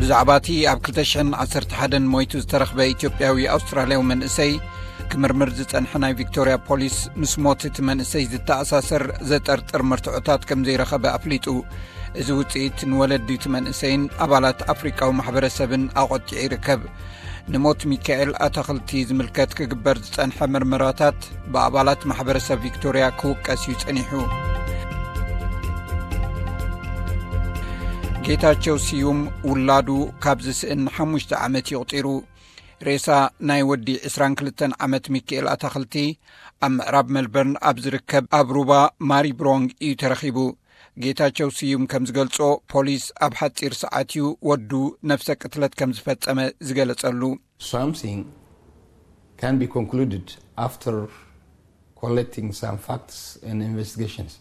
ብዛዕባ እቲ ኣብ ክልተ ሽሕን ዓሰርተ ሓደን ሞይቱ ዝተረኽበ ኢትዮጵያዊ ኣውስትራልያዊ መንእሰይ ክምርምር ዝጸንሐ ናይ ቪክቶርያ ፖሊስ፣ ምስ ሞት እቲ መንእሰይ ዝተኣሳሰር ዘጠርጥር መርትዖታት ከም ዘይረኸበ ኣፍሊጡ። እዚ ውጽኢት ንወለዲ እቲ መንእሰይን ኣባላት ኣፍሪቃዊ ማሕበረሰብን ኣቖጢዑ ይርከብ። ንሞት ሚካኤል ኣታኽልቲ ዝምልከት ክግበር ዝጸንሐ ምርመራታት ብኣባላት ማሕበረሰብ ቪክቶርያ ክውቀስ እዩ ጸኒሑ። ጌታቸው ስዩም ውላዱ ካብ ዝስእን ሓሙሽተ ዓመት ይቑጢሩ። ሬሳ ናይ ወዲ ዕስራን ክልተን ዓመት ሚካኤል ኣታኽልቲ ኣብ ምዕራብ ሜልበርን ኣብ ዝርከብ ኣብ ሩባ ማሪብሮንግ እዩ ተረኺቡ። ጌታቸው ስዩም ከም ዝገልጾ፣ ፖሊስ ኣብ ሓጺር ሰዓት እዩ ወዱ ነፍሰ ቅትለት ከም ዝፈጸመ ዝገለጸሉ። Something can be concluded after collecting some facts and investigations.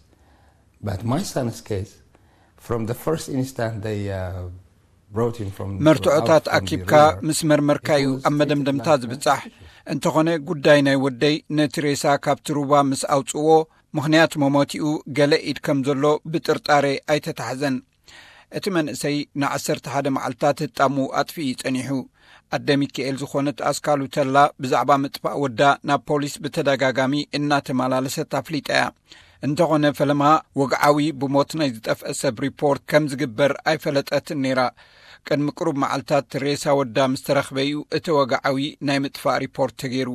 But my son's case, from the first instant they uh, brought him from መርትዖታት ኣኪብካ ምስ መርመርካ እዩ ኣብ መደምደምታ ዝብጻሕ። እንተኾነ፣ ጉዳይ ናይ ወደይ ነቲ ሬሳ ካብቲ ሩባ ምስ ኣውጽዎ፣ ምኽንያት መሞቲኡ ገለ ኢድ ከም ዘሎ ብጥርጣሬ ኣይተታሕዘን። እቲ መንእሰይ ንዓሰርተ ሓደ መዓልታት ህጣሙ ኣጥፊኡ ጸኒሑ። ኣደ ሚካኤል ዝኾነት ኣስካሉ ተላ ብዛዕባ ምጥፋእ ወዳ ናብ ፖሊስ ብተደጋጋሚ እናተመላለሰት ኣፍሊጣ እያ። እንተኾነ፣ ፈለማ ወግዓዊ ብሞት ናይ ዝጠፍአ ሰብ ሪፖርት ከም ዝግበር ኣይፈለጠትን ነይራ። ቅድሚ ቅሩብ መዓልታት ሬሳ ወዳ ምስ ተረኽበ እዩ እቲ ወግዓዊ ናይ ምጥፋእ ሪፖርት ተገይሩ።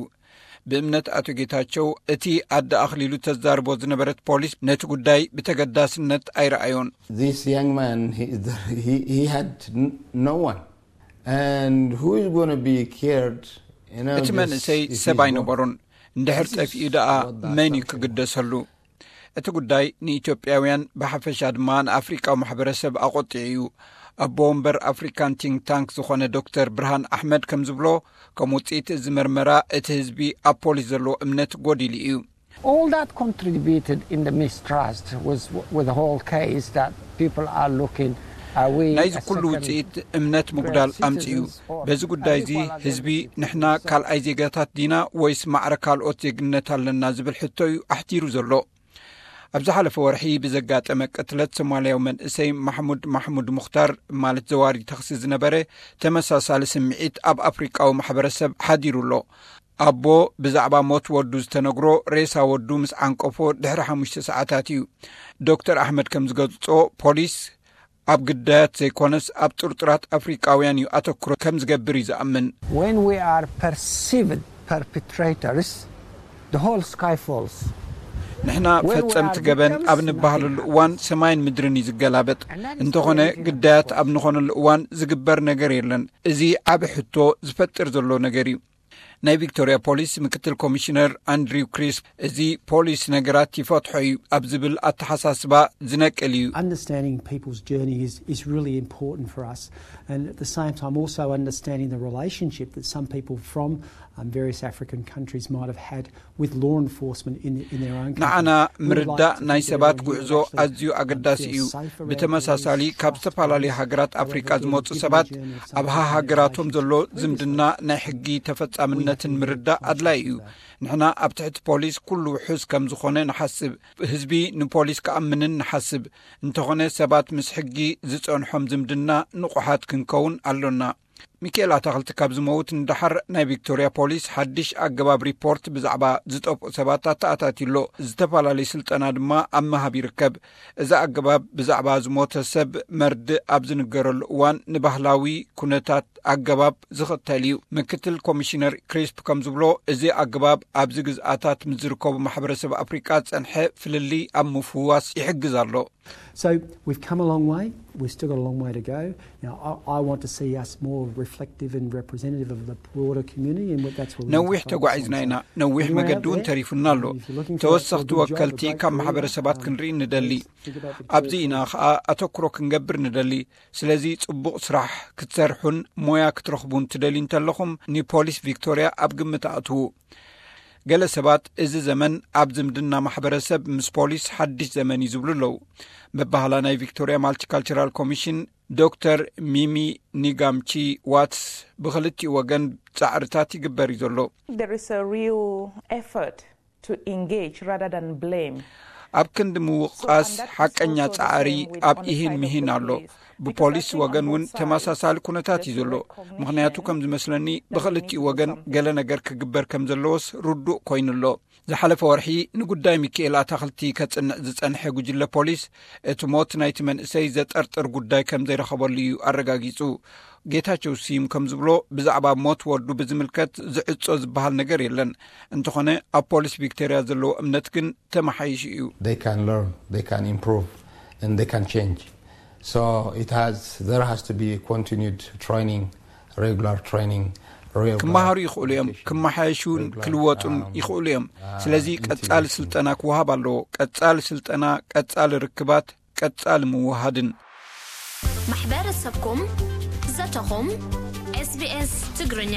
ብእምነት ኣቶ ጌታቸው፣ እቲ ኣደ ኣኽሊሉ ተዛርቦ ዝነበረት ፖሊስ ነቲ ጉዳይ ብተገዳስነት ኣይረኣዮን። This young man, he, is the, he, he had n- no one. And who is going to be cared? You know, እቲ this- መንእሰይ if ሰብ he's ኣይነበሮን። እንድሕር ጠፊኡ ደኣ መን እዩ ክግደሰሉ? እቲ ጉዳይ ንኢትዮጵያውያን ብሓፈሻ ድማ ንኣፍሪቃዊ ማሕበረሰብ ኣቖጢዑ እዩ። ኣቦ ወንበር ኣፍሪካን ቲንክ ታንክ ዝኾነ ዶክተር ብርሃን ኣሕመድ ከም ዝብሎ፣ ከም ውፅኢት እዚ መርመራ እቲ ህዝቢ ኣብ ፖሊስ ዘለዎ እምነት ጎዲሉ እዩ። All that contributed in the mistrust was with the whole case that people are looking, are we ናይዚ ኩሉ ውፅኢት እምነት ምጉዳል ኣምፅኡ። በዚ ጉዳይ እዚ ህዝቢ ንሕና ካልኣይ ዜጋታት ዲና ወይስ ማዕረ ካልኦት ዜግነት ኣለና ዝብል ሕቶ እዩ ኣሕቲሩ ዘሎ። ኣብ ዝሓለፈ ወርሒ ብዘጋጠመ ቅትለት ሶማልያዊ መንእሰይ ማሕሙድ ማሕሙድ ሙኽታር፣ ማለት ዘዋሪ ተኽሲ ዝነበረ፣ ተመሳሳሊ ስምዒት ኣብ ኣፍሪቃዊ ማሕበረሰብ ሓዲሩ ኣሎ። ኣቦ ብዛዕባ ሞት ወዱ ዝተነግሮ ሬሳ ወዱ ምስ ዓንቀፎ ድሕሪ ሓሙሽተ ሰዓታት እዩ። ዶክተር ኣሕመድ ከም ዝገልጾ፣ ፖሊስ ኣብ ግዳያት ዘይኮነስ ኣብ ጥርጡራት ኣፍሪቃውያን እዩ ኣተኩሮ ከም ዝገብር እዩ ዝኣምን። When we are perceived perpetrators, the whole sky falls. ንሕና ፈጸምቲ ገበን ኣብ ንበሃለሉ እዋን ሰማይን ምድርን እዩ ዝገላበጥ። እንተኾነ፣ ግዳያት ኣብ ንኾነሉ እዋን ዝግበር ነገር የለን። እዚ ዓቢ ሕቶ ዝፈጥር ዘሎ ነገር እዩ። ናይ ቪክቶርያ ፖሊስ ምክትል ኮሚሽነር ኣንድሪው ክሪስፕ፣ እዚ ፖሊስ ነገራት ይፈትሖ እዩ ኣብ ዝብል ኣተሓሳስባ ዝነቅል እዩ። Understanding people's journey is, is really important for us, and at the same time also understanding the relationship that some people from um, various African countries might have had with law enforcement in, in their own country. ንዓና ምርዳእ ናይ ሰባት ጉዕዞ ኣዝዩ ኣገዳሲ እዩ። ብተመሳሳሊ፣ ካብ ዝተፈላለዩ ሃገራት ኣፍሪቃ ዝመጹ ሰባት ኣብ ሃሃገራቶም ዘሎ ዝምድና ናይ ሕጊ ተፈጻምነትን ምርዳእ ኣድላይ እዩ። ንሕና ኣብ ትሕቲ ፖሊስ ኩሉ ውሑስ ከም ዝኾነ ንሓስብ፣ ህዝቢ ንፖሊስ ክኣምንን ንሓስብ። እንተኾነ፣ ሰባት ምስ ሕጊ ዝጸንሖም ዝምድና ንቑሓት ክንከውን ኣሎና። ሚካኤል ኣታኽልቲ ካብ ዝመውት ንደሓር፣ ናይ ቪክቶርያ ፖሊስ ሓድሽ ኣገባብ ሪፖርት ብዛዕባ ዝጠፍኡ ሰባት ኣተኣታትዩ ኣሎ። ዝተፈላለዩ ስልጠና ድማ ኣብ ምሃብ ይርከብ። እዚ ኣገባብ ብዛዕባ ዝሞተ ሰብ መርድእ ኣብ ዝንገረሉ እዋን ንባህላዊ ኩነታት ኣገባብ ዝኽተል እዩ። ምክትል ኮሚሽነር ክሪስፕ ከም ዝብሎ፣ እዚ ኣገባብ ኣብዚ ግዝኣታት ምስ ዝርከቡ ማሕበረሰብ ኣፍሪቃ ዝጸንሐ ፍልልይ ኣብ ምፍዋስ ይሕግዝ ኣሎ። So we've come a long way. We've still got a long way to go. Now, I, I want to see us more reflective and representative of the broader community, and that's what we need ነዊሕ to focus ተጓዒዝና on. ኢና። So ነዊሕ when we're out መገዲ እውን there, ተሪፉና ኣሎ። if you're looking for ተወሰኽቲ a good job, a ወከልቲ great ካብ career, ማሕበረሰባት um, ክንርኢ ንደሊ። think about the ኣብዚ career ኢና path. ኸኣ ኣተኩሮ ክንገብር ንደሊ። ስለዚ ጽቡቕ ስራሕ ክትሰርሑን ሞያ ክትረኽቡን ትደልዩ እንተለኹም፣ ንፖሊስ ቪክቶርያ ኣብ ግምት ኣእትዉ። ገለ ሰባት፣ እዚ ዘመን ኣብ ዝምድና ማሕበረሰብ ምስ ፖሊስ ሓድሽ ዘመን እዩ ዝብሉ ኣለዉ። መባህላ ናይ ቪክቶርያ ማልቲካልቸራል ኮሚሽን ዶክተር ሚሚ ኒጋምቺ ዋትስ፣ ብኽልቲኡ ወገን ጻዕርታት ይግበር እዩ ዘሎ። There is a real effort to engage rather than blame. ኣብ ክንዲ ምውቃስ ሓቀኛ ጻዕሪ ኣብ ኢሂን ምሂን ኣሎ። ብፖሊስ ወገን እውን ተመሳሳሊ ኩነታት እዩ ዘሎ። ምኽንያቱ ከም ዝመስለኒ ብኽልቲኡ ወገን ገለ ነገር ክግበር ከም ዘለዎስ ርዱእ ኮይኑ ኣሎ። ዝሓለፈ ወርሒ ንጉዳይ ሚካኤል ኣታኽልቲ ከጽንዕ ዝጸንሐ ጉጅለ ፖሊስ እቲ ሞት ናይቲ መንእሰይ ዘጠርጥር ጉዳይ ከም ዘይረኸበሉ እዩ ኣረጋጊጹ። ጌታቸው ስዩም ከም ዝብሎ ብዛዕባ ሞት ወዱ ብዝምልከት ዝዕጾ ዝበሃል ነገር የለን። እንተኾነ ኣብ ፖሊስ ቪክቶርያ ዘለዎ እምነት ግን ተመሓይሹ እዩ። They can learn, they can improve, and they can change. So it has, there has to be continued training, regular training, real ክመሃሩ ይኽእሉ እዮም። ክመሓየሹን ክልወጡን ይኽእሉ እዮም። ስለዚ ቀጻሊ ስልጠና ክወሃብ ኣለዎ። ቀጻሊ ስልጠና፣ ቀጻሊ ርክባት፣ ቀጻሊ ምውሃድን። ማሕበረሰብኩም፣ ዘተኹም፣ SBS ትግርኛ።